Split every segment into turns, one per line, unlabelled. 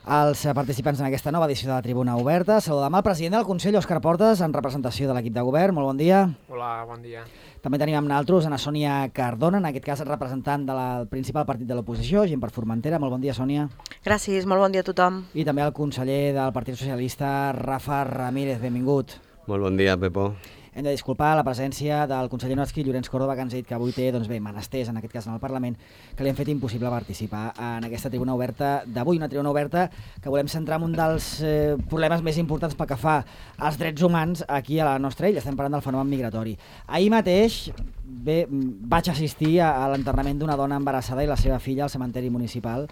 els participants en aquesta nova edició de la Tribuna Oberta. Saludem el president del Consell, Òscar Portes, en representació de l'equip de govern. Molt bon dia.
Hola, bon dia.
També tenim amb nosaltres Ana Sònia Cardona, en aquest cas representant del principal partit de l'oposició, Gent per Formentera. Molt bon dia, Sònia.
Gràcies, molt bon dia a tothom.
I també el conseller del Partit Socialista, Rafa Ramírez. Benvingut.
Molt bon dia, Pepo.
Hem de disculpar la presència del conseller Notsky, Llorenç Córdoba, que ens ha dit que avui té menesters, en aquest cas en el Parlament, que li han fet impossible participar en aquesta tribuna oberta d'avui. Una tribuna oberta que volem centrar en un dels problemes més importants pel que fa als drets humans aquí a la nostra illa. Estem parlant del fenomen migratori. Ahir mateix vaig assistir a l'enterrament d'una dona embarassada i la seva filla al cementeri municipal.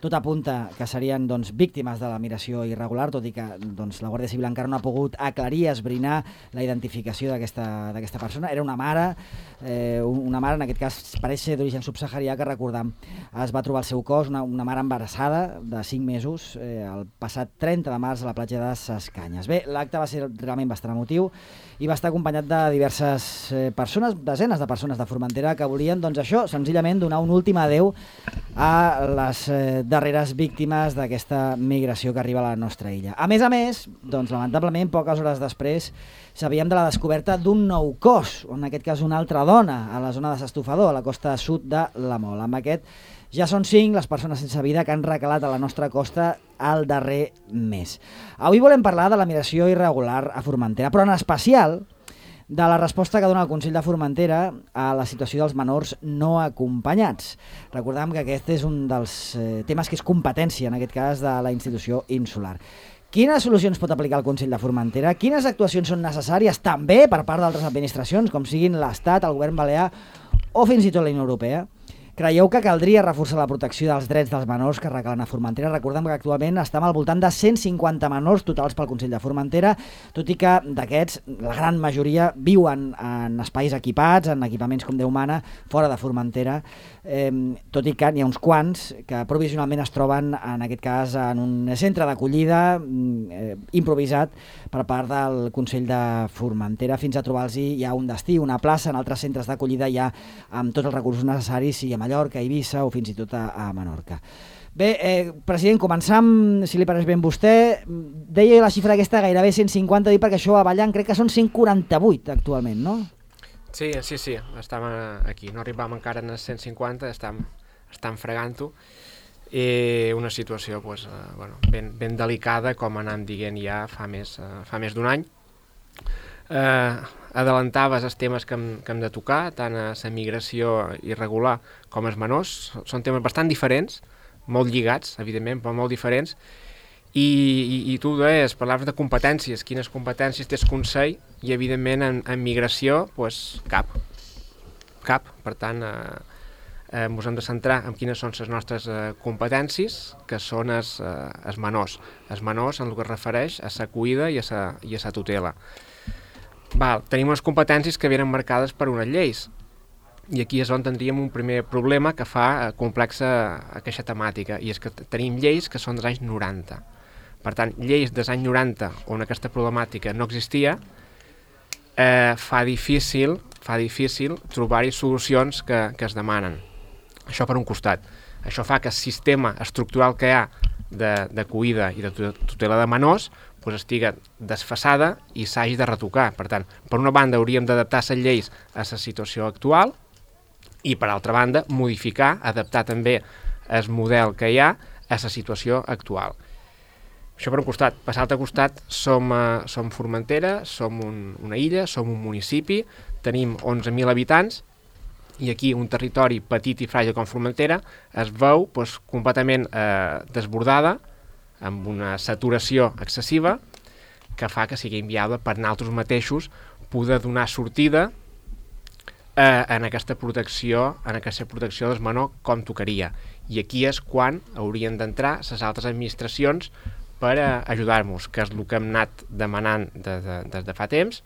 Tot apunta que serien víctimes de la migració irregular, tot i que la Guàrdia Civil encara no ha pogut aclarir, esbrinar la identificació d'aquesta persona. Era una mare, en aquest cas pareix ser d'origen subsaharià, que recordam, es va trobar el seu cos, una mare embarassada de 5 mesos, el passat 30 de març a la platja de Ses Canyes. Bé, l'acte va ser realment bastant emotiu i va estar acompanyat de diverses persones, desenes de persones de Formentera, que volien, això, senzillament donar un últim adeu a les darreres víctimes d'aquesta migració que arriba a la nostra illa. A més, lamentablement, poques hores després, sabíem de la descoberta d'un nou cos, en aquest cas una altra dona, a la zona de s'Estofador, a la costa sud de la Mol. Amb aquest ja són 5 les persones sense vida que han recalat a la nostra costa el darrer mes. Avui volem parlar de la migració irregular a Formentera, però en especial de la resposta que dona el Consell de Formentera a la situació dels menors no acompanyats. Recordem que aquest és un dels temes que és competència, en aquest cas, de la institució insular. Quines solucions pot aplicar el Consell de Formentera? Quines actuacions són necessàries també per part d'altres administracions, com siguin l'Estat, el Govern Balear o fins i tot la Unió Europea? Creieu que caldria reforçar la protecció dels drets dels menors que recalen a Formentera? Recordem que actualment estem al voltant de 150 menors totals pel Consell de Formentera, tot i que d'aquests la gran majoria viuen en espais equipats, en equipaments com Déu mana, fora de Formentera, tot i que n'hi ha uns quants que provisionalment es troben, en aquest cas, en un centre d'acollida improvisat per part del Consell de Formentera, fins a trobar-los ja un destí, una plaça. En altres centres d'acollida ja amb tots els recursos necessaris, sigui a Mallorca, a Eivissa o fins i tot a Menorca. Bé, president, començam, si li pareix ben vostè. Deia la xifra aquesta, gairebé 150, perquè això a Ballant crec que són 148 actualment, no?
Sí, estem aquí. No arribam encara a 150, estem fregant-ho. I una situació ben delicada, com anàvem dient ja fa més d'un any. Adelantaves els temes que hem de tocar, tant a la migració irregular com als menors. Són temes bastant diferents, molt lligats, evidentment, però molt diferents. I tu deies, parlaves de competències, quines competències té el Consell, i evidentment en migració, cap. Per tant, ens hem de centrar en quines són les nostres competències, que són els menors. Els menors en el que es refereix a la cuida i a la tutela. Tenim unes competències que venen marcades per unes lleis, i aquí és on tindríem un primer problema que fa complexa aquesta temàtica, i és que tenim lleis que són dels anys 90. Per tant, lleis dels anys 90 on aquesta problemàtica no existia, fa difícil trobar-hi solucions que es demanen. Això per un costat. Això fa que el sistema estructural que hi ha de cuida i de tutela de menors estigui desfasada i s'hagi de retocar. Per tant, per una banda hauríem d'adaptar les lleis a la situació actual i per altra banda modificar, adaptar també el model que hi ha a la situació actual. Això per un costat. Per l'altre costat som Formentera, som una illa, som un municipi, tenim 11.000 habitants, i aquí un territori petit i fràgil com Formentera es veu completament desbordada, amb una saturació excessiva que fa que sigui inviable per nosaltres mateixos poder donar sortida en aquesta protecció dels menors com tocaria. I aquí és quan haurien d'entrar les altres administracions per ajudar-nos, que és el que hem anat demanant des de fa temps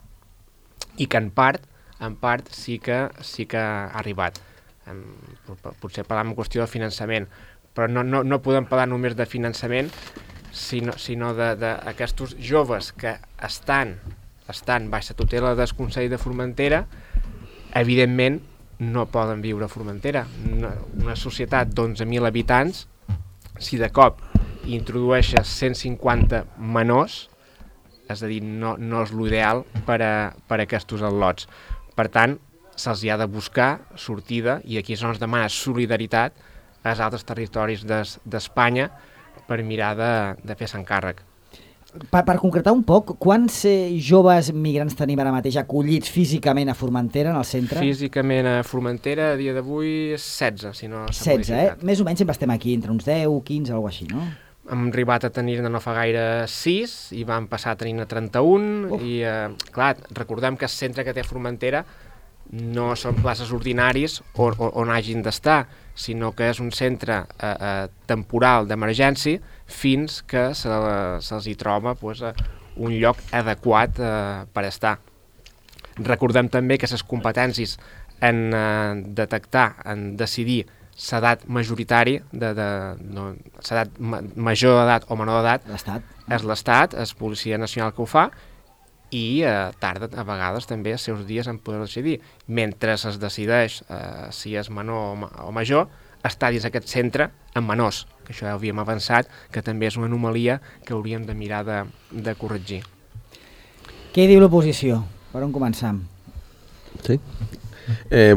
i que en part sí que ha arribat. Potser parlam en qüestió de finançament, però no podem parlar només de finançament, sinó d'aquests joves que estan baix la tutela del Consell de Formentera, evidentment no poden viure a Formentera. Una societat d'11.000 habitants, si de cop i introdueixes 150 menors, és a dir, no és l'ideal per a aquests al·lots. Per tant, se'ls ha de buscar sortida, i aquí és on es demana solidaritat als altres territoris d'Espanya per mirar de fer-se'n càrrec.
Per concretar un poc, quants joves migrants tenim ara mateix acollits físicament a Formentera, en el centre?
Físicament a Formentera, a dia d'avui, 16, si no s'ha
16,
modificat.
Més o menys sempre estem aquí, entre uns 10, 15, alguna així, no?
Hem arribat a tenir-ne no fa gaire 6 i vam passar a tenir-ne 31 i, clar, recordem que el centre que té Formentera no són places ordinaris on hagin d'estar, sinó que és un centre temporal d'emergència fins que se'ls hi troba un lloc adequat per estar. Recordem també que les competències en detectar, en decidir l'edat majoritari, l'edat major d'edat o menor d'edat, és l'Estat, és Policia Nacional que ho fa, i tarda a vegades també els seus dies en poder decidir. Mentre es decideix si és menor o major, està dins aquest centre amb menors, que això ja havíem avançat, que també és una anomalia que hauríem de mirar de corregir.
Què diu l'oposició? Per on començam?
Sí.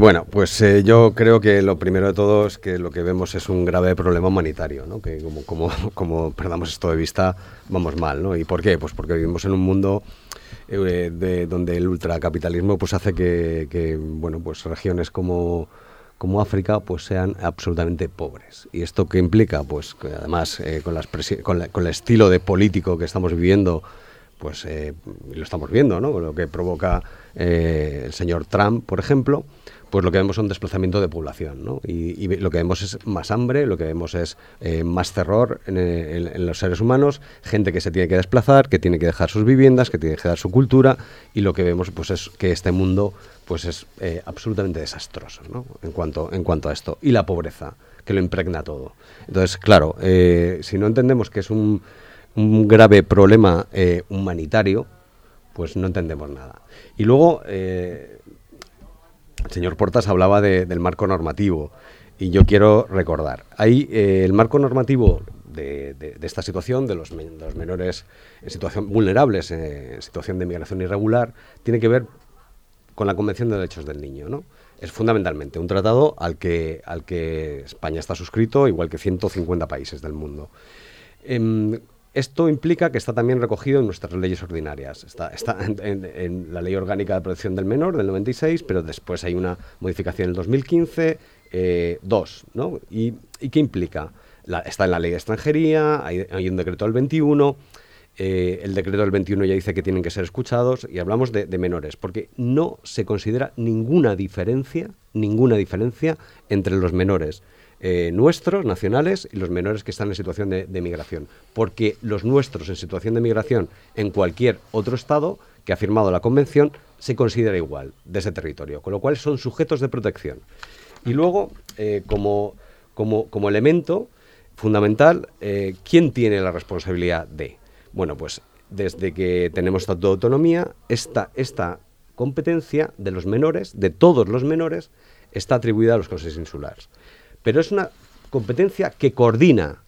Bueno, pues yo creo que lo primero de todo es que lo que vemos es un grave problema humanitario, ¿no? Que como perdamos esto de vista, vamos mal, ¿no? ¿Y por qué? Pues porque vivimos en un mundo donde el ultracapitalismo pues hace que bueno, pues regiones como África pues sean absolutamente pobres. ¿Y esto qué implica? Pues que además con el estilo de político que estamos viviendo, pues lo estamos viendo, ¿no? Lo que provoca el señor Trump, por ejemplo, pues lo que vemos es un desplazamiento de población, ¿no? Y lo que vemos es más hambre, lo que vemos es más terror en los seres humanos, gente que se tiene que desplazar, que tiene que dejar sus viviendas, que tiene que dejar su cultura, y lo que vemos pues es que este mundo pues es absolutamente desastroso, ¿no? En cuanto a esto, y la pobreza, que lo impregna todo. Entonces, claro, si no entendemos que es un grave problema humanitario, pues no entendemos nada. Y luego el señor Portas hablaba del marco normativo, y yo quiero recordar, ahí el marco normativo de esta situación, de los menores en situación vulnerables, en situación de migración irregular, tiene que ver con la Convención de Derechos del Niño, ¿no? Es fundamentalmente un tratado al que España está suscrito, igual que 150 países del mundo. Esto implica que está también recogido en nuestras leyes ordinarias. Está en la Ley Orgánica de Protección del Menor del 96, pero después hay una modificación en el 2015, ¿no? ¿Y qué implica? Está en la Ley de Extranjería, hay un decreto del 21, el decreto del 21 ya dice que tienen que ser escuchados, y hablamos de menores, porque no se considera ninguna diferencia entre los menores nuestros, nacionales, y los menores que están en situación de migración, porque los nuestros en situación de migración en cualquier otro estado que ha firmado la convención se considera igual de ese territorio, con lo cual son sujetos de protección. Y luego, como elemento fundamental, ¿quién tiene la responsabilidad de? Bueno, pues desde que tenemos Estatuto de Autonomía, esta competencia de los menores, de todos los menores, está atribuida a los consejos insulares. Pero es una competencia que coordina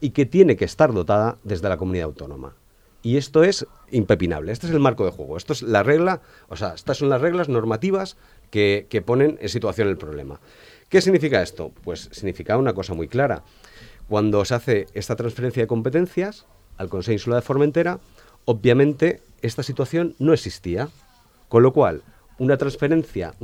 y que tiene que estar dotada desde la comunidad autónoma. Y esto es impepinable. Este es el marco de juego. Esto es la regla, estas son las reglas normativas que ponen en situación el problema. ¿Qué significa esto? Pues significa una cosa muy clara. Cuando se hace esta transferencia de competencias al Consejo Insular de Formentera, obviamente esta situación no existía. Con lo cual, una transferencia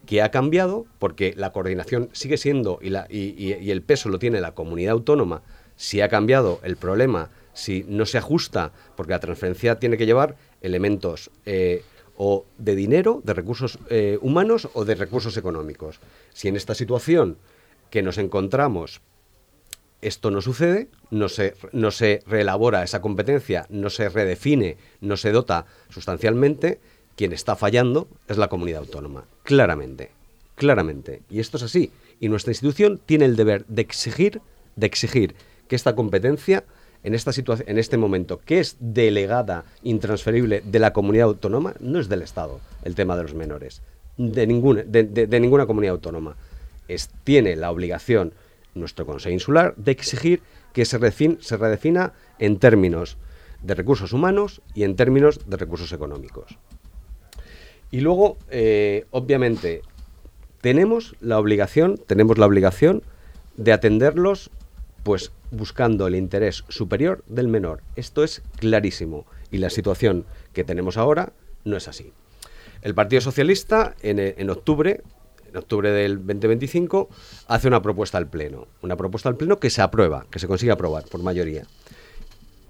que ha cambiado, porque la coordinación sigue siendo y el peso lo tiene la comunidad autónoma. Si ha cambiado el problema, si no se ajusta, porque la transferencia tiene que llevar elementos o de dinero, de recursos humanos o de recursos económicos. Si en esta situación que nos encontramos esto no sucede, no se reelabora esa competencia, no se redefine, no se dota sustancialmente, quien está fallando es la comunidad autónoma, claramente. Y esto es así. Y nuestra institución tiene el deber de exigir que esta competencia, en este momento, que es delegada, intransferible de la comunidad autónoma, no es del Estado, el tema de los menores, de ninguna comunidad autónoma. Tiene la obligación nuestro Consejo Insular, de exigir que se redefina en términos de recursos humanos y en términos de recursos económicos. Y luego, obviamente, tenemos la obligación de atenderlos, pues buscando el interés superior del menor. Esto es clarísimo y la situación que tenemos ahora no es así. El Partido Socialista en octubre del 2025 hace una propuesta al Pleno que se aprueba, que se consigue aprobar por mayoría,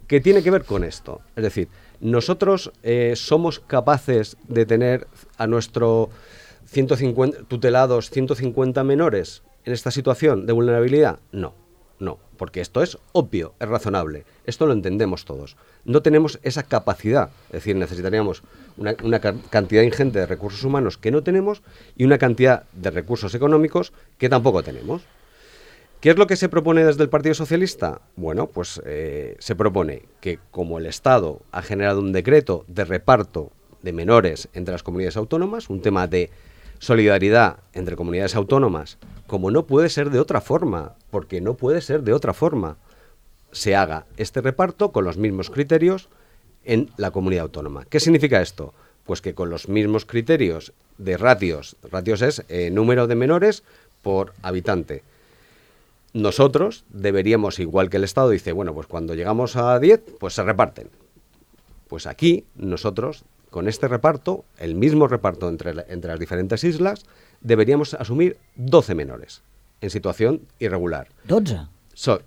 que tiene que ver con esto. Es decir, nosotros somos capaces de tener a nuestro 150 tutelados, 150 menores en esta situación de vulnerabilidad. No, porque esto es obvio, es razonable, esto lo entendemos todos. No tenemos esa capacidad, es decir, necesitaríamos una cantidad ingente de recursos humanos que no tenemos y una cantidad de recursos económicos que tampoco tenemos. ¿Qué es lo que se propone desde el Partido Socialista? Bueno, pues se propone que como el Estado ha generado un decreto de reparto de menores entre las comunidades autónomas, un tema de solidaridad entre comunidades autónomas, como no puede ser de otra forma, porque no puede ser de otra forma, se haga este reparto con los mismos criterios en la comunidad autónoma. ¿Qué significa esto? Pues que con los mismos criterios de ratios es número de menores por habitante. Nosotros deberíamos, igual que el Estado dice, bueno, pues cuando llegamos a 10, pues se reparten. Pues aquí nosotros, con este reparto, el mismo reparto entre las diferentes islas, deberíamos asumir 12 menores en situación irregular.
¿12?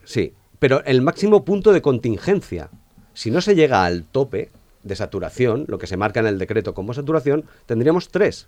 Sí, pero el máximo punto de contingencia. Si no se llega al tope de saturación, lo que se marca en el decreto como saturación, tendríamos 3,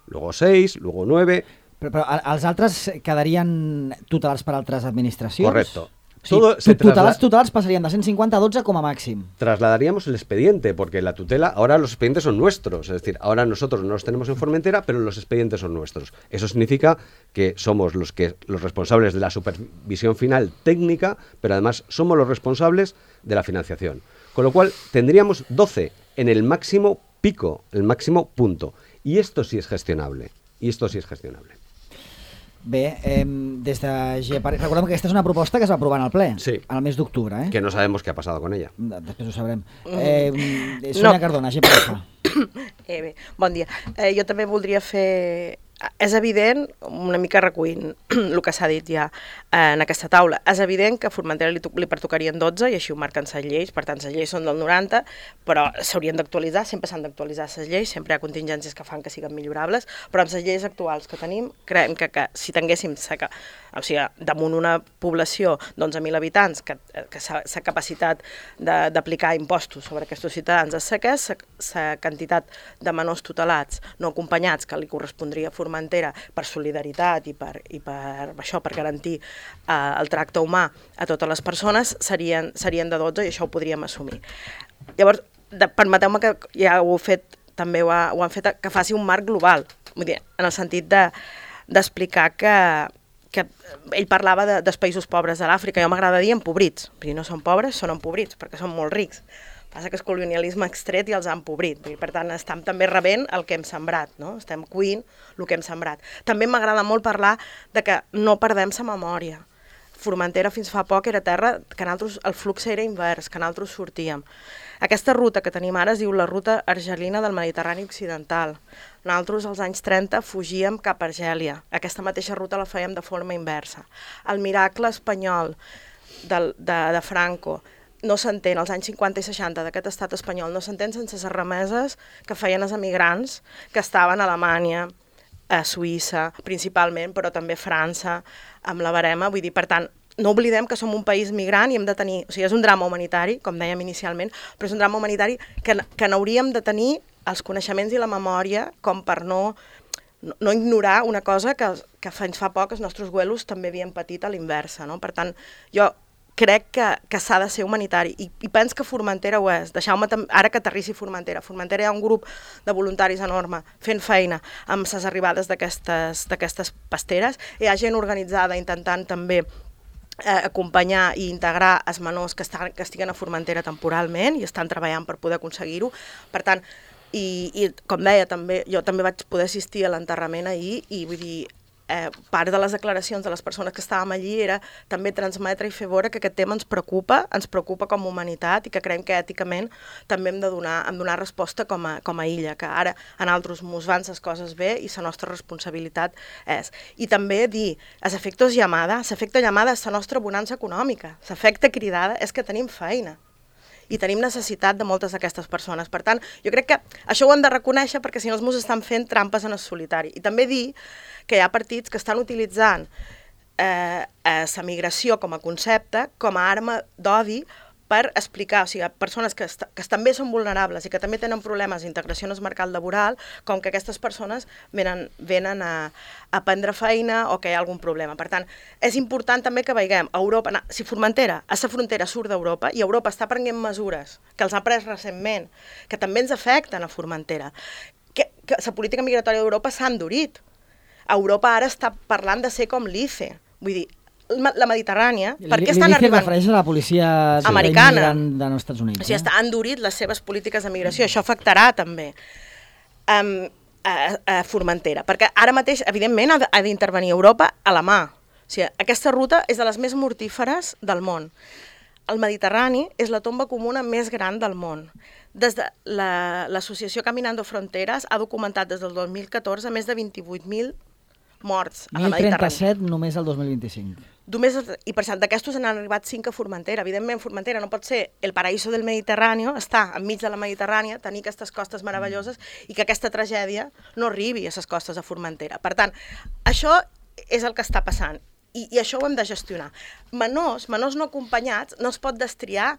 luego 6, luego 9...
Però els altres quedarien tutelats per altres administracions?
Correcto.
O sigui, tutelats passarían de 150 a 12 como máximo.
Trasladaríamos el expediente, porque la tutela, ahora los expedientes son nuestros, es decir, ahora nosotros no los tenemos en Formentera, pero los expedientes son nuestros. Eso significa que somos los responsables de la supervisión final técnica, pero además somos los responsables de la financiación. Con lo cual tendríamos 12 en el máximo pico, el máximo punto. Y esto sí es gestionable.
Bé, des de GEPARES, recordem que aquesta és una proposta que es va aprovar en el ple,
sí,
al mes d'octubre.
Que no sabemos qué ha pasado con ella.
Després ho sabrem. Sònia Cardona, GEPARES.
Bé, bon dia. Jo també voldria fer... És evident, una mica recollint el que s'ha dit ja en aquesta taula, és evident que a Formentera li pertocarien 12 i així ho marquen les lleis, per tant les lleis són del 90, però s'haurien d'actualitzar, sempre s'han d'actualitzar les lleis, sempre hi ha contingències que fan que siguin millorables, però amb les lleis actuals que tenim, creiem que si tinguéssim damunt una població d'11.000 habitants, que la capacitat d'aplicar impostos sobre aquests ciutadans és la quantitat de menors tutelats no acompanyats que li correspondria a Formentera per solidaritat i per garantir el tracte humà a totes les persones serien de 12 i això ho podríem assumir. Llavors, permeteu-me que ja ho heu fet, també ho han fet, que faci un marc global, vull dir, en el sentit d'explicar que ell parlava dels països pobres de l'Àfrica, jo m'agrada dir empobrits, perquè no són pobres, són empobrits, perquè són molt rics. Passa que el colonialisme ha extret i els ha empobrit. Per tant, estem també rebent el que hem sembrat, no? Estem cuint el que hem sembrat. També m'agrada molt parlar de que no perdem la memòria. Formentera fins fa poc era terra que nosaltres, el flux era invers, que nosaltres sortíem. Aquesta ruta que tenim ara es diu la ruta argelina del Mediterrani Occidental. Nosaltres als anys 30 fugíem cap a Argèlia. Aquesta mateixa ruta la fèiem de forma inversa. El miracle espanyol de Franco no s'entén, als anys 50 i 60 d'aquest estat espanyol, no s'entén sense les remeses que feien els emigrants que estaven a Alemanya, a Suïssa, principalment, però també a França, amb la barema. Vull dir, per tant, no oblidem que som un país migrant i hem de tenir... O sigui, és un drama humanitari, com dèiem inicialment, però és un drama humanitari que n'hauríem de tenir els coneixements i la memòria com per no ignorar una cosa que fins fa poc els nostres abuelos també havien patit a l'inversa, no? Per tant, jo crec que s'ha de ser humanitari i penso que Formentera ho és. Deixeu-me, ara que aterrissi Formentera. Formentera hi ha un grup de voluntaris enorme fent feina amb les arribades d'aquestes pasteres. Hi ha gent organitzada intentant també acompanyar i integrar els menors que estiguen a Formentera temporalment i estan treballant per poder aconseguir-ho. Per tant, i com deia, jo també vaig poder assistir a l'enterrament ahir i vull dir, part de les declaracions de les persones que estàvem allí era també transmetre i fer veure que aquest tema ens preocupa com a humanitat i que creiem que èticament també hem de donar resposta com a illa, que ara en altres mos van les coses bé i la nostra responsabilitat és. I també dir, l'efecte llamada és la nostra bonança econòmica, l'efecte cridada és que tenim feina i tenim necessitat de moltes d'aquestes persones. Per tant, jo crec que això ho hem de reconèixer perquè si no els estan fent trampes en el solitari. I també dir que hi ha partits que estan utilitzant la migració com a concepte, com a arma d'odi, per explicar, o sigui, a persones que també són vulnerables i que també tenen problemes d'integració en el mercat laboral, com que aquestes persones venen a prendre feina o que hi ha algun problema. Per tant, és important també que veiem a Europa, si Formentera, a la frontera surt d'Europa, i Europa està prenent mesures que els ha pres recentment, que també ens afecten a Formentera, que la política migratòria d'Europa s'ha endurit. Europa ara està parlant de ser com l'ICE, vull dir, la Mediterrània, per què estan arribant...
L'ICE refereix a la policia
americana
dels Estats Units.
O sigui, està endurit les seves polítiques de migració. Això afectarà també a Formentera, perquè ara mateix, evidentment, ha d'intervenir Europa a la mà. O sigui, aquesta ruta és de les més mortíferes del món. El Mediterrani és la tomba comuna més gran del món. Des de l'associació Caminando Fronteres ha documentat des del 2014 més de 28.000 morts a la Mediterrània.
1.037 només el 2025.
I per cert, d'aquestos n'han arribat 5 a Formentera. Evidentment, Formentera no pot ser el paraíso del Mediterrani, està enmig de la Mediterrània, tenir aquestes costes meravelloses i que aquesta tragèdia no arribi a les costes de Formentera. Per tant, això és el que està passant i això ho hem de gestionar. Menors no acompanyats no es pot destriar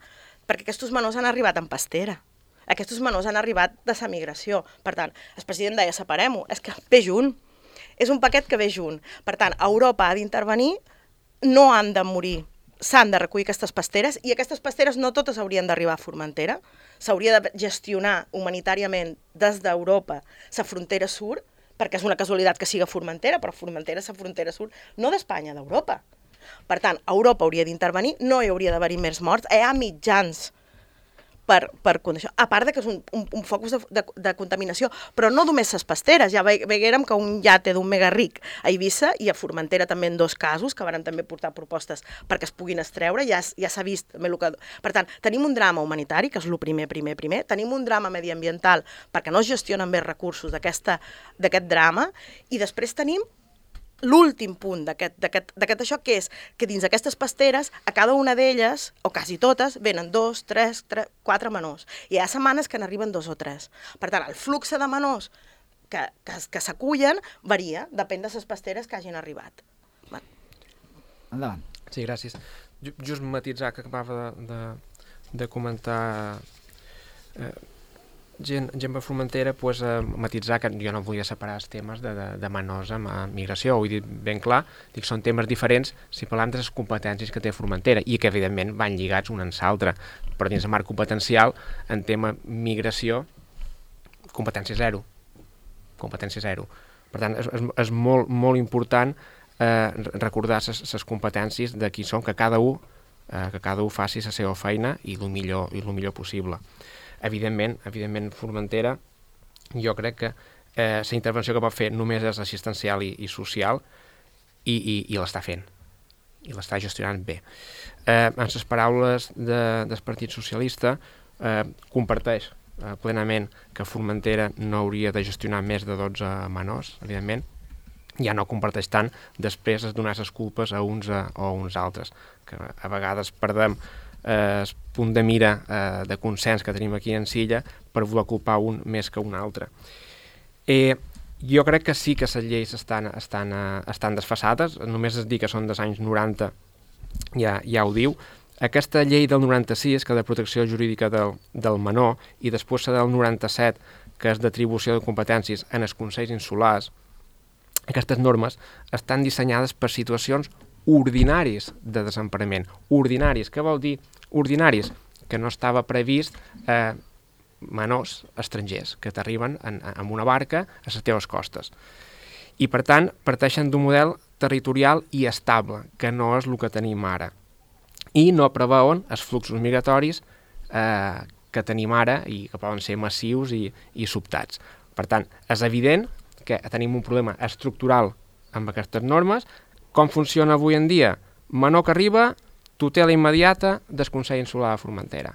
perquè aquests menors han arribat en pastera. Aquests menors han arribat de la migració. Per tant, el president deia, separem-ho, és que ve junt. És un paquet que ve junt. Per tant, Europa ha d'intervenir, no han de morir, s'han de recollir aquestes pasteres i aquestes pasteres no totes haurien d'arribar a Formentera, s'hauria de gestionar humanitàriament des d'Europa la frontera sud, perquè és una casualitat que siga Formentera, però Formentera és la frontera sud, no d'Espanya, d'Europa. Per tant, Europa hauria d'intervenir, no hi hauria d'haver-hi més morts, hi ha mitjans per condició. A part que és un focus de contaminació, però no només les pasteres. Ja veiem que un iate d'un mega ric a Eivissa i a Formentera també en 2 casos, que van també portar propostes perquè es puguin extreure, ja s'ha vist. Per tant, tenim un drama humanitari, que és el primer, tenim un drama mediambiental perquè no es gestionen bé recursos d'aquest drama, i després tenim l'últim punt d'aquest això, que és que dins d'aquestes pasteres, a cada una d'elles, o quasi totes, venen 2, 3, 4 menors. I hi ha setmanes que n'arriben 2 o 3. Per tant, el flux de menors que s'acullen varia, depèn de les pasteres que hagin arribat.
Endavant.
Sí, gràcies. Just matitzar que acabava de comentar gent de Formentera, pues, matitzar que jo no volia separar els temes de menors amb migració, ho he dit ben clar, dic, són temes diferents si parlem de les competències que té Formentera i que evidentment van lligats un en l'altre, però dins el marc competencial en tema migració competència zero. Per tant, és molt important recordar les competències de qui són, que cada un faci la seva feina i el millor possible. Evidentment, Formentera, jo crec que la intervenció que pot fer només és assistencial i social i l'està fent, i l'està gestionant bé. En les paraules del Partit Socialista, comparteix plenament que Formentera no hauria de gestionar més de 12 menors, evidentment, ja no comparteix tant després de donar les culpes a uns o a uns altres, que a vegades perdem el punt de mira de consens que tenim aquí en Silla per voler culpar un més que un altre. Jo crec que sí que les lleis estan desfasades, només es dir que són dels anys 90, ja ho diu. Aquesta llei del 96, que és de protecció jurídica del menor, i després la del 97, que és d'atribució de competències en els consells insulars, aquestes normes estan dissenyades per situacions ordinaris de desemparament. Ordinaris, què vol dir ordinaris? Que no estava previst menors estrangers que t'arriben amb una barca a les teves costes. I per tant, parteixen d'un model territorial i estable, que no és el que tenim ara. I no preveuen els fluxos migratoris que tenim ara i que poden ser massius i sobtats. Per tant, és evident que tenim un problema estructural amb aquestes normes. Com funciona avui en dia? Menor que arriba, tutela immediata del Consell Insular de Formentera.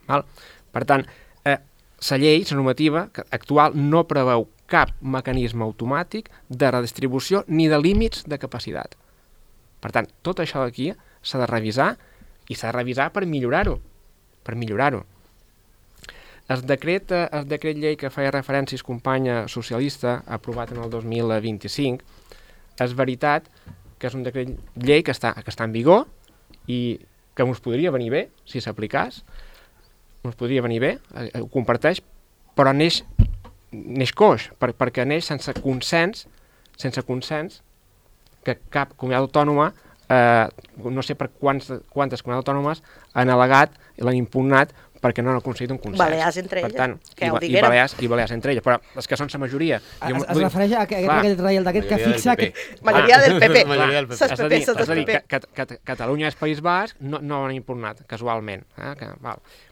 Val? Per tant, la llei, la normativa actual, no preveu cap mecanisme automàtic de redistribució ni de límits de capacitat. Per tant, tot això d'aquí s'ha de revisar i s'ha de revisar per millorar-ho. El decret llei que feia referència el company socialista, aprovat en el 2025, és veritat que és un decret llei que està en vigor i que ens podria venir bé si s'aplicàs, ens podria venir bé, ho comparteix, però neix coix, perquè neix sense consens que cap comunitat autònoma, no sé per quantes comunitats autònomes han al·legat i l'han impugnat perquè no han aconseguit un consens.
Balears entre elles,
tant,
que ho diguérem.
I Balears entre elles, però és que són la majoria.
Es refereix a aquest Reial Decret que fixa...
Majoria del PP.
És a dir, que Catalunya i el País Basc no ho han impugnat, casualment.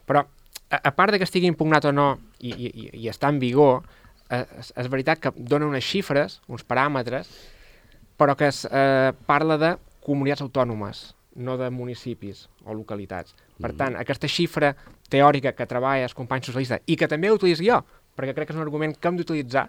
Però, a part de que estigui impugnat o no i està en vigor, és veritat que dona unes xifres, uns paràmetres, però que es parla de comunitats autònomes, no de municipis o localitats. Per tant, aquesta xifra teòrica que treballa el company socialista i que també utilitzo jo, perquè crec que és un argument que hem d'utilitzar.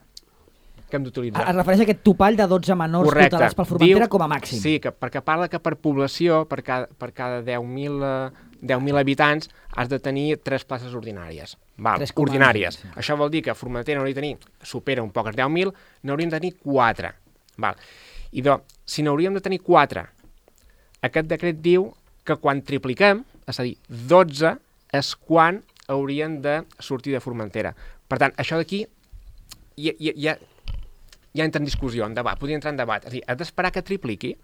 Es refereix a aquest topall de 12 menors tutelats pel Formentera com a màxim.
Sí, perquè parla que per població, per cada 10.000 habitants, has de tenir 3 places ordinàries. Ordinàries. Sí. Això vol dir que Formentera n'hauria de tenir, supera un poc els 10.000, n'hauríem de tenir 4. I si n'hauríem de tenir 4, aquest decret diu que quan tripliquem, és a dir, 12, és quan haurien de sortir de Formentera. Per tant, això d'aquí ja entra en discussió, en debat, podria entrar en debat. És a dir, has d'esperar que tripliqui.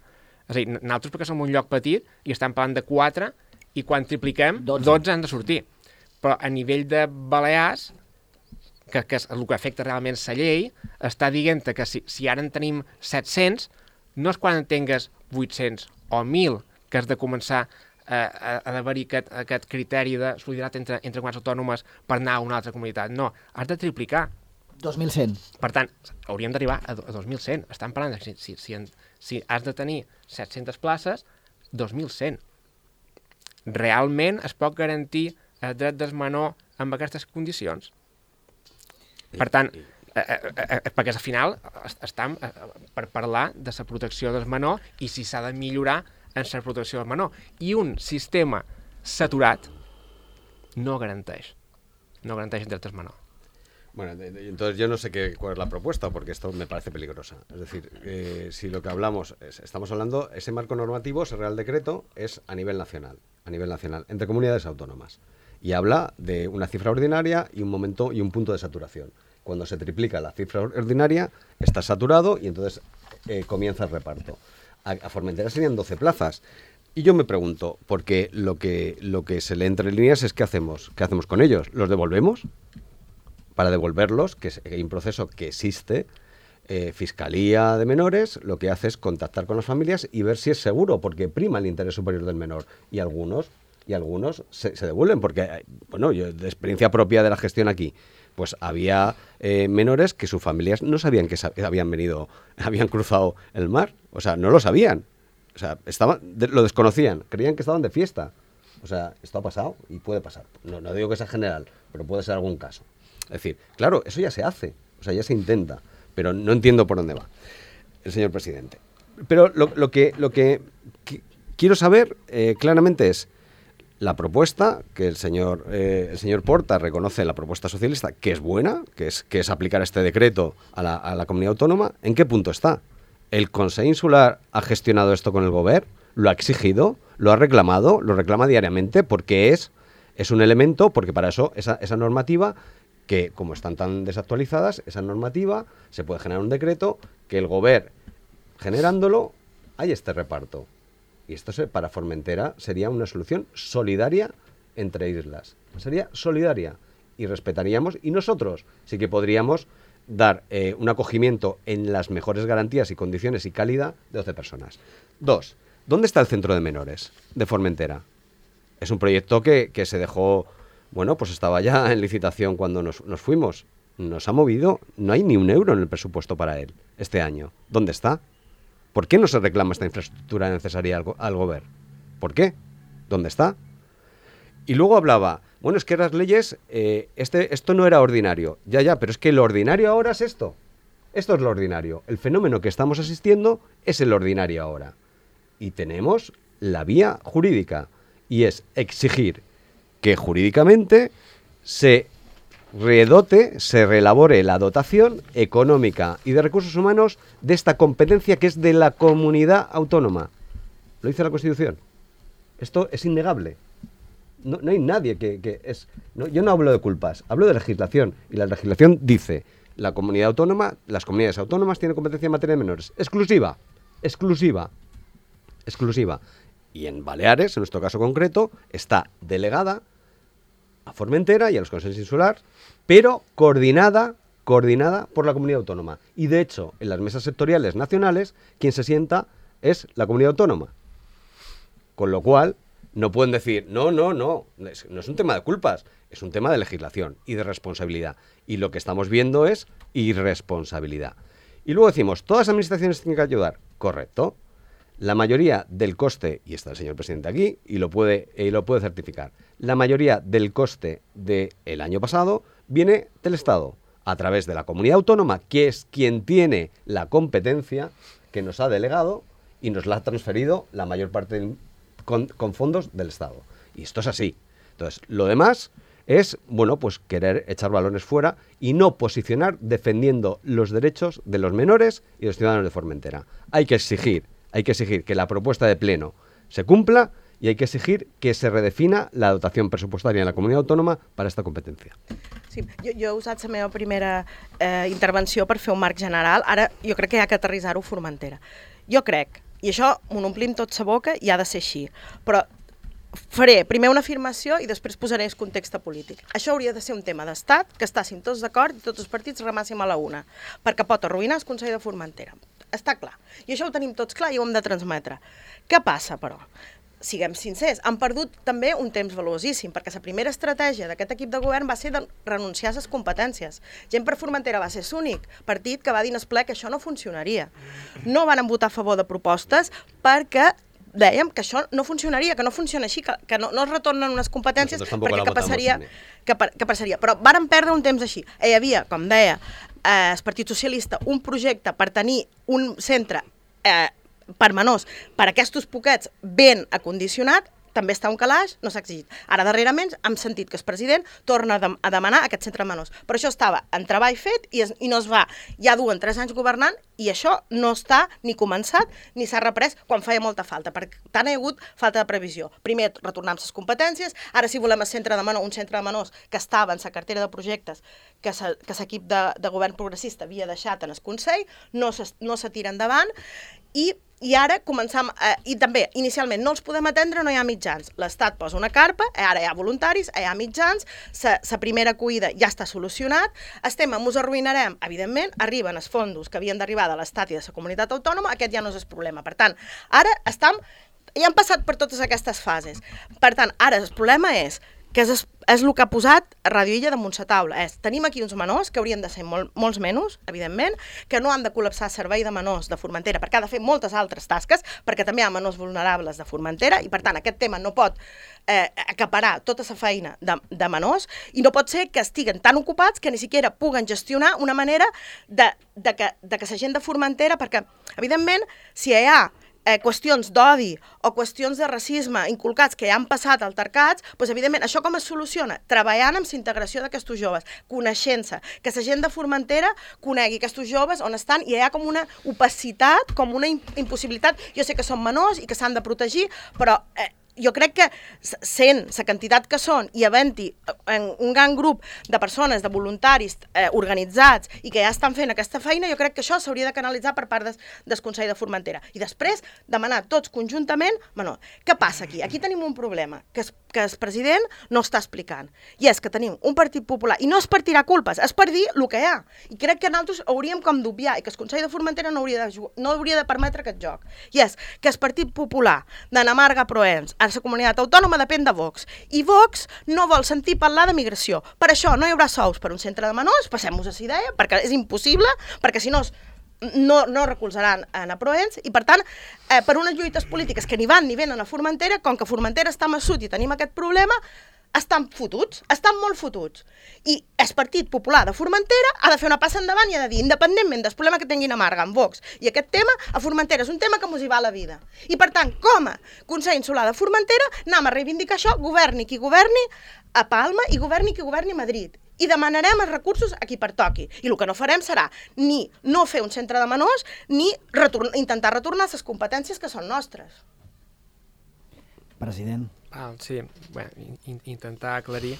És a dir, nosaltres perquè som un lloc petit i estem parlant de 4 i quan tripliquem, 12 han de sortir. Però a nivell de Balears, que és el que afecta realment la llei, està dient que si ara en tenim 700, no és quan en tingues 800 o 1.000 que has de començar a haver-hi aquest criteri de solidaritat entre comunitats autònomes per anar a una altra comunitat. No, has de triplicar.
2.100.
Per tant, hauríem d'arribar a 2.100. Estan parlant de si has de tenir 700 places, 2.100. Realment es pot garantir el dret del menor amb aquestes condicions? Per tant, perquè al final estem per parlar de la protecció del menor i si s'ha de millorar en la protecció del menor. I un sistema saturat no garanteix el dret del menor.
Bueno, entonces yo no sé cuál es la propuesta, porque esto me parece peligrosa. Es decir, si lo que estamos hablando, ese marco normativo, ese Real Decreto, es a nivel nacional, entre comunidades autónomas. Y habla de una cifra ordinaria y un momento y un punto de saturación. Cuando se triplica la cifra ordinaria, está saturado y entonces comienza el reparto. A Formentera serían 12 plazas. Y yo me pregunto, porque lo que se lee entre líneas es ¿qué hacemos con ellos? ¿Los devolvemos? Para devolverlos, que hay un proceso que existe, Fiscalía de Menores lo que hace es contactar con las familias y ver si es seguro, porque prima el interés superior del menor. Y algunos se devuelven, porque, bueno, yo de experiencia propia de la gestión aquí, pues había menores que sus familias no sabían que habían cruzado el mar, o sea, no lo sabían, o sea, lo desconocían, creían que estaban de fiesta. O sea, esto ha pasado y puede pasar. No digo que sea general, pero puede ser algún caso. Es decir, claro, eso ya se hace, o sea, ya se intenta, pero no entiendo por dónde va el señor presidente. Pero lo que quiero saber claramente es la propuesta, que el señor Porta reconoce la propuesta socialista, que es buena, que es aplicar este decreto a la comunidad autónoma. ¿En qué punto está? ¿El Consell Insular ha gestionado esto con el Gobierno? ¿Lo ha exigido? ¿Lo ha reclamado? ¿Lo reclama diariamente? Porque es un elemento, porque para eso esa normativa, que como están tan desactualizadas, esa normativa se puede generar un decreto que el Gobierno, generándolo, hay este reparto. Y esto para Formentera sería una solución solidaria entre islas. Sería solidaria y respetaríamos, y nosotros sí que podríamos dar un acogimiento en las mejores garantías y condiciones y calidad de 12 personas. 2. ¿Dónde está el centro de menores de Formentera? Es un proyecto que se dejó, bueno, pues estaba ya en licitación cuando nos fuimos. Nos ha movido, no hay ni un euro en el presupuesto para él este año. ¿Dónde está? ¿Por qué no se reclama esta infraestructura necesaria al gobierno? ¿Por qué? ¿Dónde está? Y luego hablaba, bueno, es que las leyes, esto no era ordinario. Ya, pero es que lo ordinario ahora es esto. Esto es lo ordinario. El fenómeno que estamos asistiendo es el ordinario ahora. Y tenemos la vía jurídica, y es exigir que jurídicamente se redote, se reelabore la dotación económica y de recursos humanos de esta competencia que es de la comunidad autónoma. Lo dice la Constitución. Esto es innegable. No hay nadie que es... No, yo no hablo de culpas, hablo de legislación. Y la legislación dice, la comunidad autónoma, las comunidades autónomas tienen competencia en materia de menores. Exclusiva. Y en Baleares, en nuestro caso concreto, está delegada a Formentera y a los consejos insulares, pero coordinada por la comunidad autónoma. Y de hecho, en las mesas sectoriales nacionales, quien se sienta es la comunidad autónoma. Con lo cual, no pueden decir, no es un tema de culpas, es un tema de legislación y de responsabilidad. Y lo que estamos viendo es irresponsabilidad. Y luego decimos, ¿todas las administraciones tienen que ayudar? Correcto. La mayoría del coste, y está el señor presidente aquí, y lo puede certificar, la mayoría del coste del año pasado viene del Estado, a través de la comunidad autónoma, que es quien tiene la competencia, que nos ha delegado y nos la ha transferido la mayor parte con fondos del Estado. Y esto es así. Entonces, lo demás es, bueno, pues querer echar balones fuera y no posicionar defendiendo los derechos de los menores y los ciudadanos de Formentera. Hay que exigir que la propuesta de pleno se cumpla y hay que exigir que se redefina la dotació pressupostària en la comunitat autònoma per a aquesta competència.
Sí, jo he usat la meva primera intervenció per fer un marc general. Ara jo crec que hi ha que aterrissar-ho a Formentera. Jo crec, i això m'ho omplim tot sa boca i ha de ser així, però faré primer una afirmació i després posaré el context polític. Això hauria de ser un tema d'estat, que estàssim tots d'acord i tots els partits remàssim a la una, perquè pot arruïnar el Consell de Formentera. Està clar. I això ho tenim tots clar i ho hem de transmetre. Què passa, però? Siguem sincers, han perdut també un temps valuosíssim, perquè la primera estratègia d'aquest equip de govern va ser de renunciar a les competències. Gent per Formentera va ser l'únic partit que va dir en el ple que això no funcionaria. No van votar a favor de propostes perquè dèiem que això no funcionaria, que no funciona així, que no es retornen unes competències, perquè què passaria? Però varen perdre un temps així. Hi havia, com deia, el Partit Socialista, un projecte per tenir un centre per menors, per aquests poquets ben acondicionat, també està un calaix, no s'ha exigit. Ara, darrerament, hem sentit que el president torna a demanar aquest centre de menors. Però això estava en treball fet i no es va. Ja duen 3 anys governant i això no està ni començat ni s'ha reprès quan feia molta falta, perquè tant hi ha hagut falta de previsió. Primer, retornar amb les competències, ara si volem un centre de menors que estava en la cartera de projectes que l'equip de govern progressista havia deixat en el Consell, no se tira endavant i ara començam, i també inicialment no els podem atendre, no hi ha mitjans. L'Estat posa una carpa, ara hi ha voluntaris, hi ha mitjans, la primera acollida ja està solucionat, el tema ens arruïnarem, evidentment, arriben els fondos que havien d'arribar de l'Estat i de la comunitat autònoma, aquest ja no és el problema. Per tant, ara ja han passat per totes aquestes fases. Per tant, ara el problema és que és el que ha posat Radio Illa damunt la taula. Tenim aquí uns menors, que haurien de ser molts menys, evidentment, que no han de col·lapsar el servei de menors de Formentera, perquè ha de fer moltes altres tasques, perquè també hi ha menors vulnerables de Formentera, i per tant aquest tema no pot acaparar tota la feina de menors, i no pot ser que estiguen tan ocupats que ni siquiera puguen gestionar una manera de que la gent de Formentera, perquè evidentment si hi ha qüestions d'odi o qüestions de racisme inculcats que ja han passat altercats, doncs evidentment això com es soluciona? Treballant amb la integració d'aquests joves, coneixent-se, que la gent de Formentera conegui aquests joves on estan i hi ha com una opacitat, com una impossibilitat. Jo sé que són menors i que s'han de protegir, però jo crec que sent la quantitat que són i havent-hi un gran grup de persones, de voluntaris organitzats i que ja estan fent aquesta feina, jo crec que això s'hauria de canalitzar per part del Consell de Formentera. I després demanar tots conjuntament, què passa aquí? Aquí tenim un problema que el president no està explicant. I és que tenim un Partit Popular, i no és per tirar culpes, és per dir el que hi ha. I crec que nosaltres hauríem com d'obviar i que el Consell de Formentera no hauria de permetre aquest joc. I és que el Partit Popular d'Anna Marga Proens a la comunitat autònoma depèn de Vox. I Vox no vol sentir parlar de migració. Per això no hi haurà sous per un centre de menors, passem-nos a la idea, perquè és impossible, perquè si no no recolzaran a Proens i, per tant, per unes lluites polítiques que ni van ni venen a Formentera, com que Formentera està massut i tenim aquest problema, estan fotuts, estan molt fotuts. I el Partit Popular de Formentera ha de fer una passa endavant i ha de dir, independentment del problema que tinguin a Marga, amb Vox, i aquest tema, a Formentera és un tema que mos hi va la vida. I, per tant, com a Consell Insular de Formentera, anem a reivindicar això, governi qui governi a Palma i governi qui governi a Madrid. I demanarem els recursos a qui pertoqui. I el que no farem serà ni no fer un centre de menors, ni intentar retornar les competències que són nostres.
President.
Sí, bé, intentar aclarir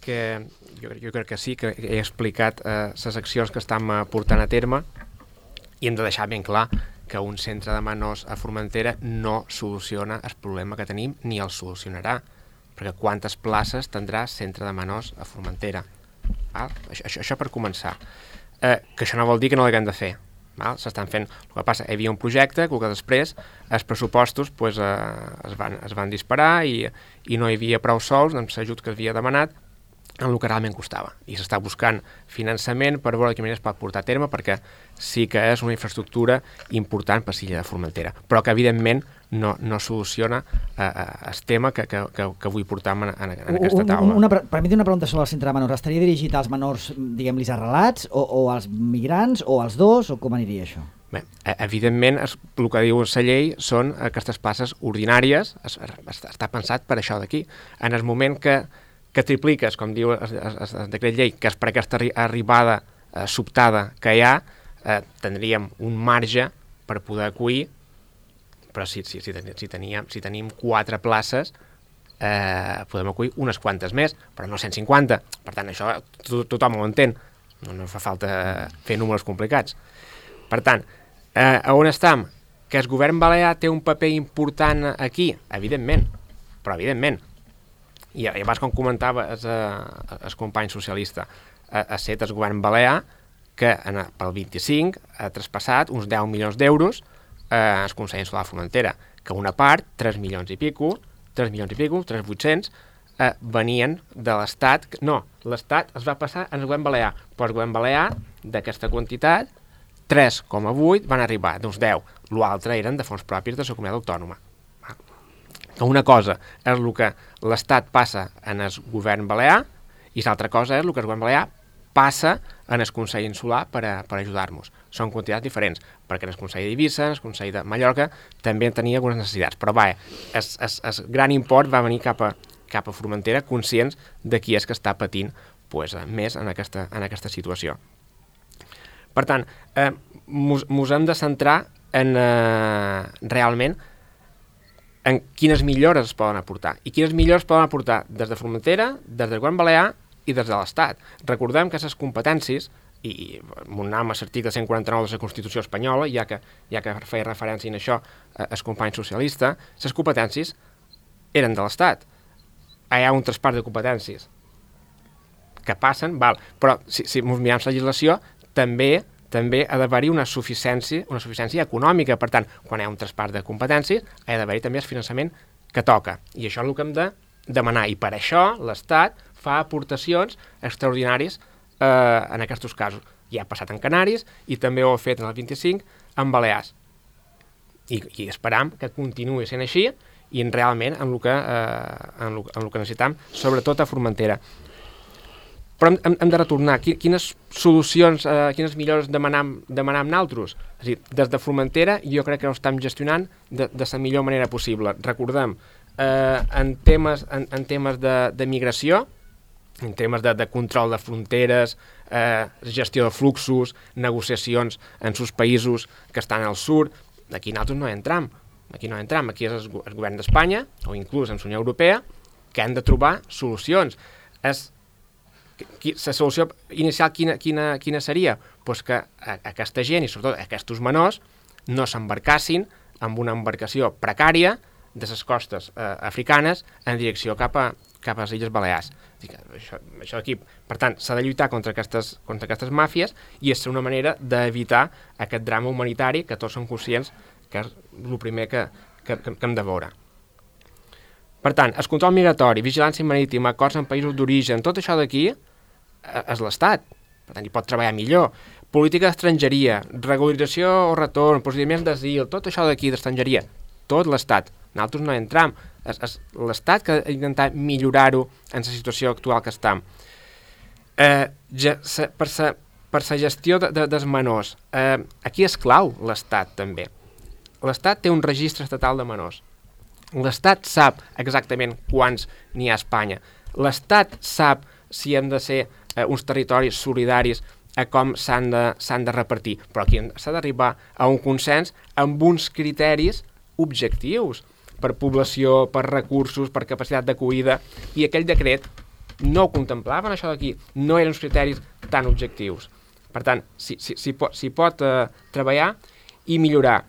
que jo crec que sí, que he explicat les accions que estem portant a terme i hem de deixar ben clar que un centre de menors a Formentera no soluciona el problema que tenim ni el solucionarà, perquè quantes places tindrà centre de menors a Formentera? Això per començar. Que això no vol dir que no l'haguem de fer. S'estan fent. El que passa, hi havia un projecte que després els pressupostos es van disparar i no hi havia prou sols amb l'ajut que havia demanat en el que realment costava. I s'està buscant finançament per veure de quina manera es pot portar a terme, perquè sí que és una infraestructura important per l'illa de Formentera, però que evidentment no soluciona el tema que vull portar en aquesta taula.
Permeti una pregunta sobre el centre de menors. Estaria dirigit als menors, diguem-li, arrelats, o als migrants, o als dos, o com aniria això?
Bé, evidentment, el que diu la llei són aquestes places ordinàries, està pensat per això d'aquí. En el moment que tripliques, com diu el decret llei, que és per aquesta arribada sobtada que hi ha, tindríem un marge per poder acollir, però si tenim 4 places, podem acollir unes quantes més, però no 150. Per tant, això tothom ho entén, no fa falta fer números complicats. Per tant, on estem? Que el govern balear té un paper important aquí? Evidentment, però evidentment. I abans, com comentava el company socialista, ha set el govern balear que pel 25 ha traspassat uns 10 milions d'euros al Consell Insular de Formentera, que una part, 3 milions i pico, 3.800.000, venien de l'Estat. No, l'Estat es va passar al govern balear, però el govern balear, d'aquesta quantitat, 3,8 van arribar, d'uns 10. L'altre eren de fons propis de la comunitat autònoma. Una cosa és el que l'Estat passa en el govern balear i l'altra cosa és el que el govern balear passa en el Consell Insular per ajudar-nos. Són quantitats diferents, perquè en el Consell d'Eivissa, en el Consell de Mallorca, també tenia algunes necessitats. Però el gran import va venir cap a Formentera, conscients de qui és que està patint més en aquesta situació. Per tant, mos hem de centrar en realment en quines millores es poden aportar. I quines millores es poden aportar des de Formentera, des del govern balear i des de l'Estat. Recordem que les competències, i anem a l'article 149 de la Constitució espanyola, ja que feia referència a això el company socialista, les competències eren de l'Estat. Hi ha un traspàs de competències que passen, però si ens mirem la legislació, també ha d'haver-hi una suficiència econòmica. Per tant, quan hi ha un traspàs de competències, ha d'haver-hi també el finançament que toca. I això és el que hem de demanar. I per això l'Estat fa aportacions extraordinàries en aquests casos. Ja ha passat en Canaris i també ho ha fet en el 25 en Balears. I esperam que continuï sent així i realment en el que necessitam, sobretot a Formentera. Però hem de retornar. Quines solucions, quines millores demanem nosaltres? És a dir, des de Formentera jo crec que ho estem gestionant de la millor manera possible. Recordem, en temes de migració, en temes de control de fronteres, gestió de fluxos, negociacions en els països que estan al sud, aquí nosaltres no entrem. Aquí és el govern d'Espanya, o inclús en la Unió Europea, que han de trobar solucions. La solució inicial quina seria? Pues que aquesta gent, i sobretot aquests menors, no s'embarcassin amb una embarcació precària de les costes africanes en direcció cap a les Illes Balears. Això d'aquí. Per tant, s'ha de lluitar contra aquestes màfies i és una manera d'evitar aquest drama humanitari que tots som conscients que és el primer que hem de veure. Per tant, el control migratori, vigilància marítima, acords en països d'origen, tot això d'aquí és l'Estat. Per tant, hi pot treballar millor. política d'estrangeria, regularització o retorn, procediments d'asil, tot això d'aquí d'estrangeria, tot l'Estat. Nosaltres no entram. És l'Estat que ha d'intentar millorar-ho en la situació actual que estem. Per la gestió dels menors, aquí és clau l'Estat també. L'Estat té un registre estatal de menors. L'Estat sap exactament quants n'hi ha a Espanya. L'Estat sap si hem de ser uns territoris solidaris a com s'han de repartir. Però aquí s'ha d'arribar a un consens amb uns criteris objectius per població, per recursos, per capacitat d'acollida, i aquell decret no ho contemplaven, això d'aquí. No eren uns criteris tan objectius. Per tant, s'hi pot treballar i millorar.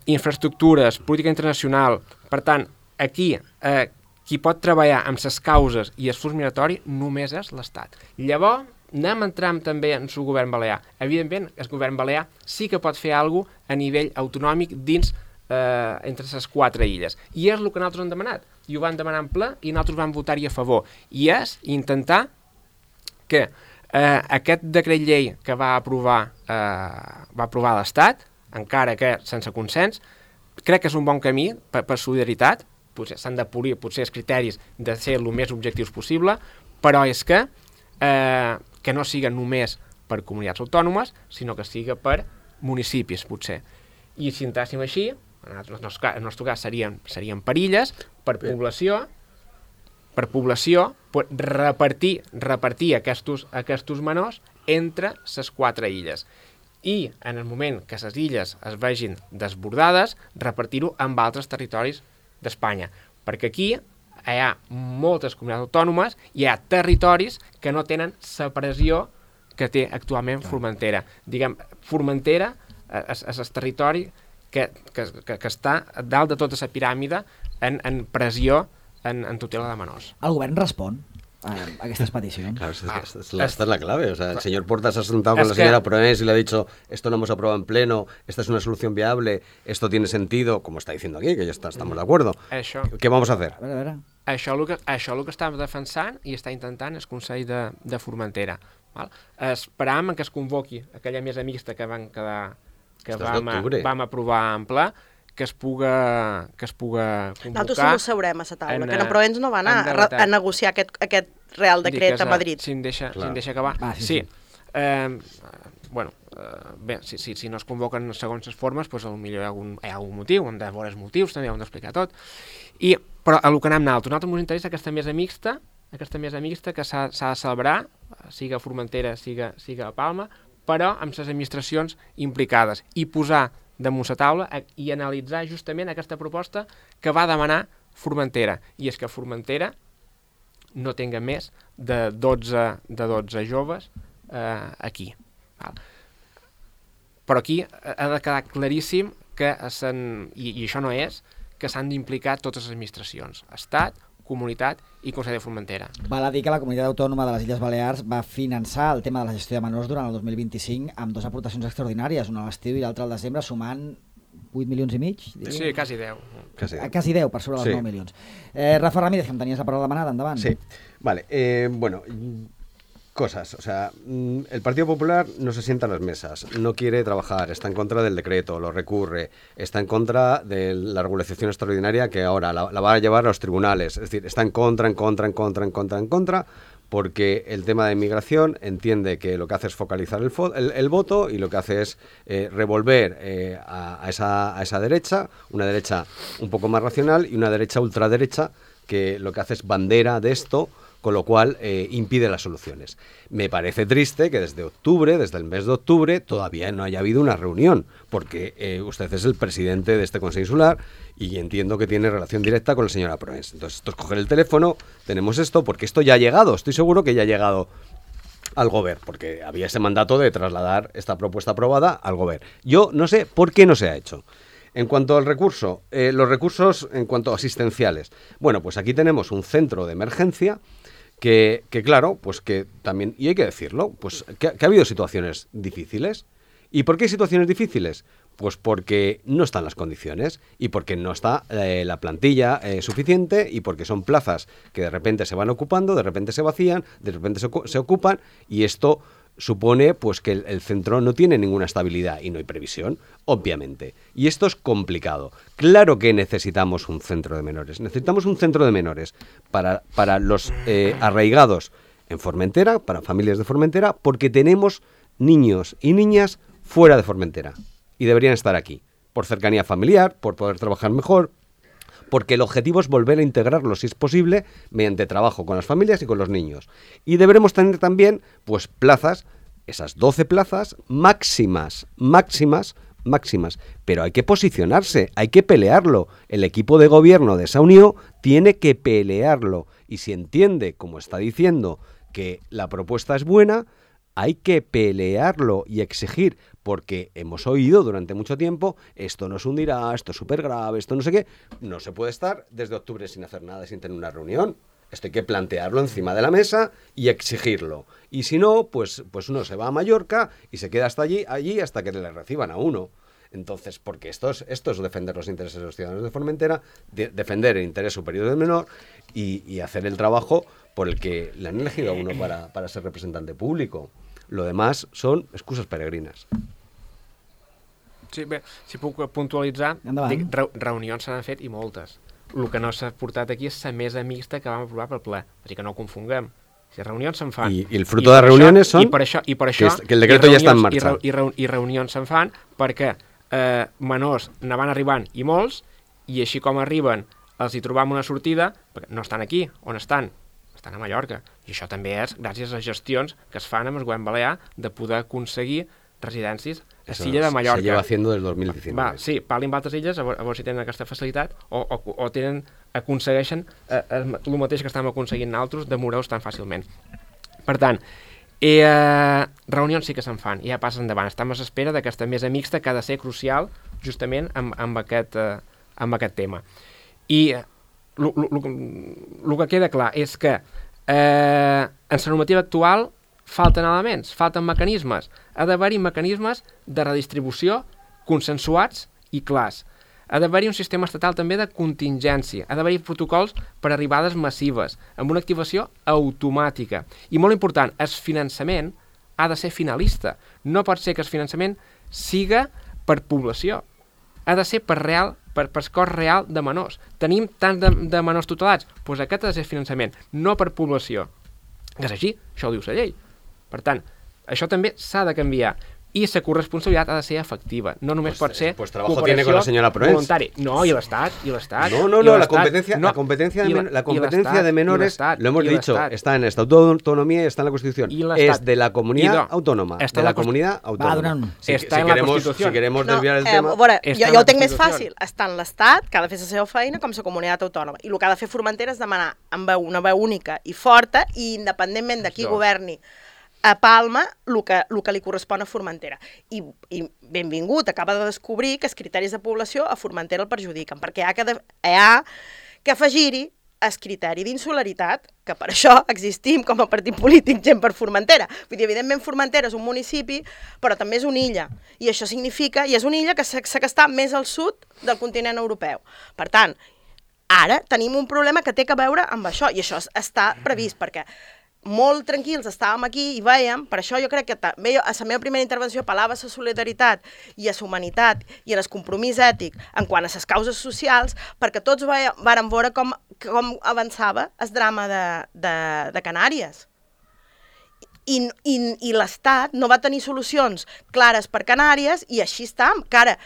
Infraestructures, política internacional. Per tant, aquí qui pot treballar amb les causes i el flux migratori només és l'Estat. Llavors, anem entrant també en el govern balear. Evidentment, el govern balear sí que pot fer alguna cosa a nivell autonòmic dins entre les 4 illes. I és el que nosaltres hem demanat. I ho van demanar en ple i nosaltres vam votar-hi a favor. I és intentar que aquest decret llei que va aprovar l'Estat, encara que sense consens, crec que és un bon camí per solidaritat. Potser s'han de polir potser els criteris de ser el més objectius possible, però és que no siga només per comunitats autònomes, sinó que siga per municipis, potser. I si entràssim així, en el nostre cas serien per illes, per població, repartir aquests menors entre les 4 illes. I en el moment que les illes es vegin desbordades, repartir-ho amb altres territoris d'Espanya. Perquè aquí hi ha moltes comunitats autònomes, hi ha territoris que no tenen la pressió que té actualment Formentera. Diguem, Formentera és el territori que està dalt de tota la piràmide en pressió en tutela de menors.
El govern respon a aquestes peticions.
Claro, esta es la clave. O sea, el señor Portas se ha sentado con la señora Proens y le ha dicho, esto lo hemos aprobado en pleno, esta es una solución viable, esto tiene sentido, como está diciendo aquí, que ya estamos de acuerdo. ¿Qué vamos a hacer?
A veure.
Això és el que estem defensant i està intentant el Consell de Formentera. Esperam que es convoqui aquella mesa mixta que vam aprovar en ple, que es puga convocar.
Nosaltres no sabrem a la taula, que Proens no va anar a negociar aquest Real Decret a Madrid.
Si em deixa acabar.
Sí.
Bé, si no es convoquen segons les formes, doncs potser hi ha algun motiu, hem de veure els motius, també hem d'explicar tot. Però el que anem nosaltres ens interessa aquesta mesa mixta que s'ha de celebrar, siga a Formentera, siga a Palma, però amb les administracions implicades, i posar damunt la taula i analitzar justament aquesta proposta que va demanar Formentera, i és que Formentera no tinga més de 12 joves aquí. Però aquí ha de quedar claríssim que i això no és, que s'han d'implicar totes les administracions, Estat, Comunitat i Consell de Formentera.
Val a dir que la Comunitat Autònoma de les Illes Balears va finançar el tema de la gestió de menors durant el 2025 amb 2 aportacions extraordinàries, una a l'estiu i l'altra al desembre, sumant 8 milions i mig?
Sí, quasi 10.
Quasi 10, per sobre dels 9 milions. Rafa Ramírez, que em tenies la paraula demanada, endavant.
Sí, vale. Cosas, o sea, el Partido Popular no se sienta en las mesas, no quiere trabajar, está en contra del decreto, lo recurre, está en contra de la regulación extraordinaria que ahora la va a llevar a los tribunales, es decir, está en contra, porque el tema de inmigración entiende que lo que hace es focalizar el voto y lo que hace es revolver a esa derecha, una derecha un poco más racional y una derecha ultraderecha que lo que hace es bandera de esto, con lo cual impide las soluciones. Me parece triste que desde el mes de octubre, todavía no haya habido una reunión, porque usted es el presidente de este Consejo Insular y entiendo que tiene relación directa con la señora Proens. Entonces, esto es coger el teléfono, tenemos esto, porque esto ya ha llegado, estoy seguro que ya ha llegado al Govern, porque había ese mandato de trasladar esta propuesta aprobada al Govern. Yo no sé por qué no se ha hecho. En cuanto al recurso, los recursos en cuanto a asistenciales. Bueno, pues aquí tenemos un centro de emergencia que claro, pues que también, y hay que decirlo, pues que ha habido situaciones difíciles. ¿Y por qué hay situaciones difíciles? Pues porque no están las condiciones y porque no está la plantilla suficiente y porque son plazas que de repente se van ocupando, de repente se vacían, de repente se ocupan y esto supone pues que el centro no tiene ninguna estabilidad y no hay previsión, obviamente. Y esto es complicado. Claro que necesitamos un centro de menores. Necesitamos un centro de menores para los arraigados en Formentera, para familias de Formentera, porque tenemos niños y niñas fuera de Formentera y deberían estar aquí, por cercanía familiar, por poder trabajar mejor, porque el objetivo es volver a integrarlos, si es posible, mediante trabajo con las familias y con los niños. Y deberemos tener también, pues, plazas, esas 12 plazas máximas, pero hay que posicionarse, hay que pelearlo. El equipo de gobierno de esa unión tiene que pelearlo. Y si entiende, como está diciendo, que la propuesta es buena, hay que pelearlo y exigir, porque hemos oído durante mucho tiempo, esto nos hundirá, esto es súper grave, esto no sé qué. No se puede estar desde octubre sin hacer nada, sin tener una reunión. Esto hay que plantearlo encima de la mesa y exigirlo. Y si no, pues uno se va a Mallorca y se queda hasta allí hasta que le reciban a uno. Entonces, porque esto es defender los intereses de los ciudadanos de Formentera, defender el interés superior del menor y hacer el trabajo por el que le han elegido a uno para ser representante público. Lo demás són excuses peregrinas.
Sí, bé, si puc puntualitzar, dic, reunions se n'han fet i moltes. El que no s'ha portat aquí és la mesa mixta que vam aprovar pel ple. Així que no ho confonguem. Si reunions se'n fan.
I el fruto de reuniones són
per això,
que el decreto ja està en marxa.
I reunions se'n fan perquè menors ne van arribant i molts, i així com arriben els hi trobam una sortida, perquè no estan aquí, on estan? Estan a Mallorca. I això també és gràcies a gestions que es fan amb el govern balear de poder aconseguir residències a l'illa de Mallorca.
Se lleva haciendo des 2019.
Sí, parlin amb altres illes, a veure si tenen aquesta facilitat o aconsegueixen el mateix que estem aconseguint nosaltres de moure-us tan fàcilment. Per tant, reunions sí que se'n fan i ja passen endavant. Estem a l'espera d'aquesta mesa mixta que ha de ser crucial justament amb aquest tema. I el que queda clar és que en la normativa actual falten elements, falten mecanismes. Ha d'haver-hi mecanismes de redistribució consensuats i clars. Ha d'haver-hi un sistema estatal també de contingència. Ha d'haver-hi protocols per arribades massives, amb una activació automàtica. I molt important, el finançament ha de ser finalista. No pot ser que el finançament siga per població. Ha de ser per cos real de menors. Tenim tants de menors tutelats? Doncs aquest ha de ser finançament, no per població. Que és així, això ho diu la llei. Per tant, això també s'ha de canviar. I la corresponsabilitat ha de ser efectiva. No només pot ser cooperació voluntari. No, i l'Estat.
No, la competencia de menores, lo hemos dicho, está en el Estatuto de Autonomía y está en la Constitución. Es de la comunidad autónoma. De la comunidad autónoma.
Està en la Constitució.
Si queremos desviar el tema...
Jo ho tenc més fàcil. Està en l'Estat, que ha de fer la seva feina, com la comunitat autònoma. I el que ha de fer Formentera és demanar amb una veu única i forta, i independentment de qui governi a Palma, el que li correspon a Formentera. I benvingut, acaba de descobrir que els criteris de població a Formentera el perjudiquen, perquè hi ha que afegir-hi el criteri d'insularitat, que per això existim com a partit polític gent per Formentera. Vull dir, evidentment Formentera és un municipi, però també és una illa. I això significa, i és una illa que està més al sud del continent europeu. Per tant, ara tenim un problema que té a veure amb això, i això està previst, perquè molt tranquils estàvem aquí i vèiem, per això jo crec que també a la meva primera intervenció apel·lava a la solidaritat i a la humanitat i al compromís ètic en quant a les causes socials, perquè tots vàrem veure com avançava el drama de Canàries. I l'Estat no va tenir solucions clares per Canàries i així està, encara.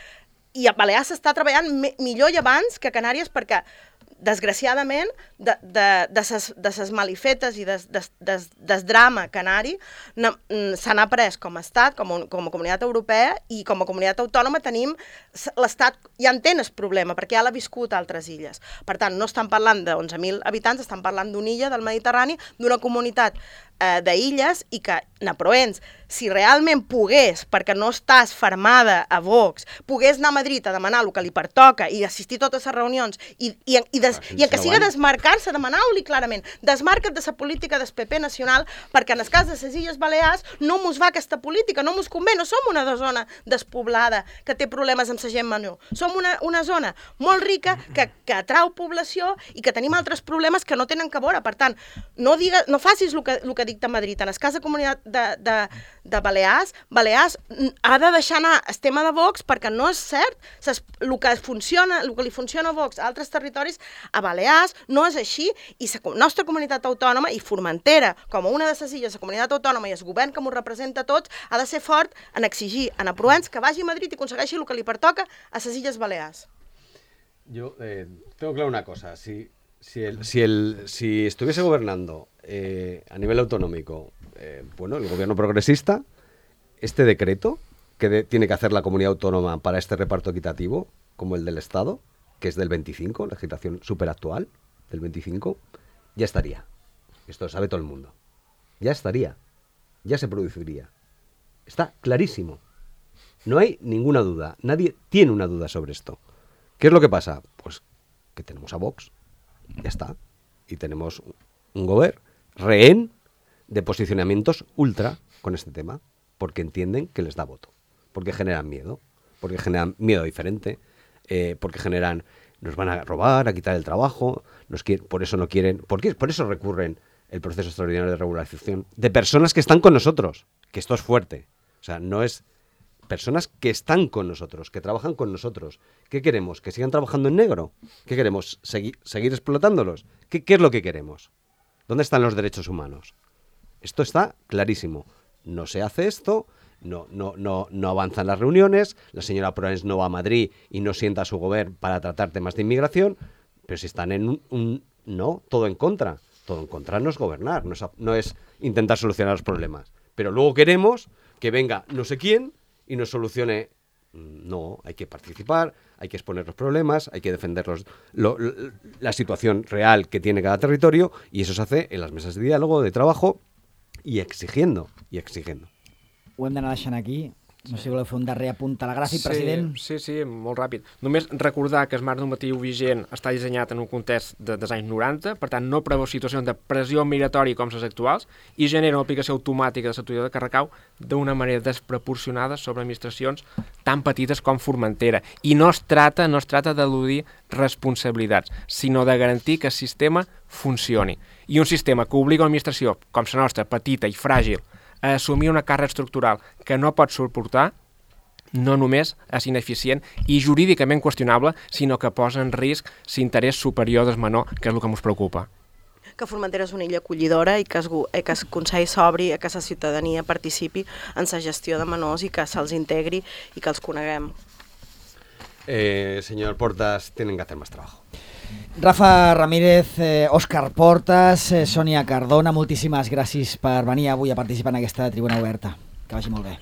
I a Balears s'està treballant millor i abans que a Canàries perquè desgraciadament, de ses malifetes i del drama canari se n'ha pres com a estat, com a comunitat europea, i com a comunitat autònoma tenim, l'estat ja entén el problema, perquè ja l'ha viscut a altres illes. Per tant, no estan parlant de 11.000 habitants, estan parlant d'una illa del Mediterrani, d'una comunitat d'Illes i que Naproens, si realment pogués, perquè no estàs fermada a Vox, pogués anar a Madrid a demanar el que li pertoca i assistir a totes les reunions i que siga desmarcar-se, demanar-li clarament, desmarca't de la política del PP nacional perquè en el cas de les Illes Balears no mos va aquesta política, no mos convé, no som una zona despoblada que té problemes amb la gent menor. Som una zona molt rica que atrau població i que tenim altres problemes que no tenen que veure. Per tant, no facis el que dicta Madrid. En el cas de comunitat de Balears ha de deixar anar el tema de Vox perquè no és cert. El que li funciona a Vox a altres territoris, a Balears no és així i la nostra comunitat autònoma i Formentera, com a una de les illes, la comunitat autònoma i el govern que m'ho representa a tots, ha de ser fort en exigir a Naproens que vagi a Madrid i aconsegueixi el que li pertoca a les Illes Balears.
Yo tengo claro una cosa, si estuviese gobernando a nivel autonómico, el gobierno progresista, este decreto que tiene que hacer la comunidad autónoma para este reparto equitativo, como el del Estado, que es del 25, legislación superactual del 25, ya estaría. Esto lo sabe todo el mundo. Ya estaría. Ya se produciría. Está clarísimo. No hay ninguna duda. Nadie tiene una duda sobre esto. ¿Qué es lo que pasa? Pues que tenemos a Vox. Ya está. Y tenemos un gobierno rehén de posicionamientos ultra con este tema, porque entienden que les da voto, porque generan miedo diferente, porque generan, nos van a robar, a quitar el trabajo, por eso no quieren, por eso recurren el proceso extraordinario de regularización de personas que están con nosotros, que esto es fuerte, o sea, no es personas que están con nosotros, que trabajan con nosotros. ¿Qué queremos? ¿Que sigan trabajando en negro? ¿Qué queremos? ¿Seguir explotándolos? ¿Qué es lo que queremos? ¿Dónde están los derechos humanos? Esto está clarísimo. No se hace esto, no avanzan las reuniones, la señora Proens no va a Madrid y no sienta a su gobierno para tratar temas de inmigración, pero si están en no, todo en contra. Todo en contra no es gobernar, no es intentar solucionar los problemas. Pero luego queremos que venga no sé quién y nos solucione. No, hay que participar, hay que exponer los problemas, hay que defender la situación real que tiene cada territorio, y eso se hace en las mesas de diálogo, de trabajo, i exigiendo.
Ho hem d'anar deixant aquí. No sé si voleu fer un darrer apunt telegràfic, president.
Sí, molt ràpid. Només recordar que el marc normatiu vigent està dissenyat en un context dels anys 90, per tant no preveu situacions de pressió migratòria com les actuals i genera una aplicació automàtica de la tutela que recau d'una manera desproporcionada sobre administracions tan petites com Formentera. I no es tracta d'eludir responsabilitats, sinó de garantir que el sistema funcioni. I un sistema que obliga l'administració, com la nostra, petita i fràgil, a assumir una càrrega estructural que no pot suportar, no només és ineficient i jurídicament qüestionable, sinó que posa en risc l'interès superior del menor, que és el que ens preocupa.
Que Formentera és una illa acollidora i que el Consell s'obri, que la ciutadania participi en la gestió de menors i que se'ls integri i que els coneguem.
Señor Portas, tienen que hacer más trabajo.
Rafa Ramírez, Òscar Portas, Sònia Cardona, moltíssimes gràcies per venir avui a participar en aquesta tribuna oberta. Que vagi molt bé.